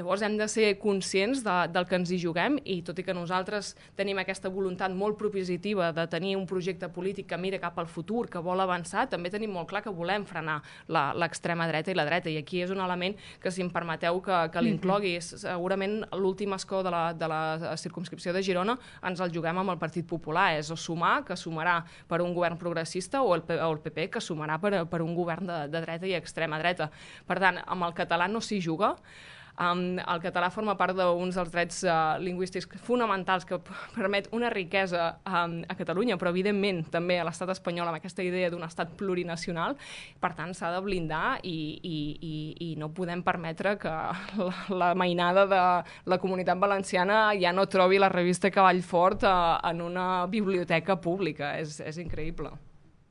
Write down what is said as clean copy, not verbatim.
Llavors hem de ser conscients del que ens hi juguem i tot i que nosaltres tenim aquesta voluntat molt propositiva de tenir un projecte polític que mira cap al futur, que vol avançar, també tenim molt clar que volem frenar l'extrema dreta i la dreta, i aquí és un element que, si em permeteu que l'inclogui, segurament l'últim escó de la circumscripció de Girona ens el juguem amb el Partit Popular, és o sumar, que sumarà per un govern progressista, o el PP, que sumarà per un govern de dreta i extrema dreta. Per tant, amb el català no s'hi juga. El català forma part d'uns dels drets lingüístics fonamentals que permet una riquesa a Catalunya, però evidentment també a l'estat espanyol amb aquesta idea d'un estat plurinacional. Per tant, s'ha de blindar i no podem permetre que la mainada de la Comunitat Valenciana ja no trobi la revista Cavall Fort en una biblioteca pública. És increïble.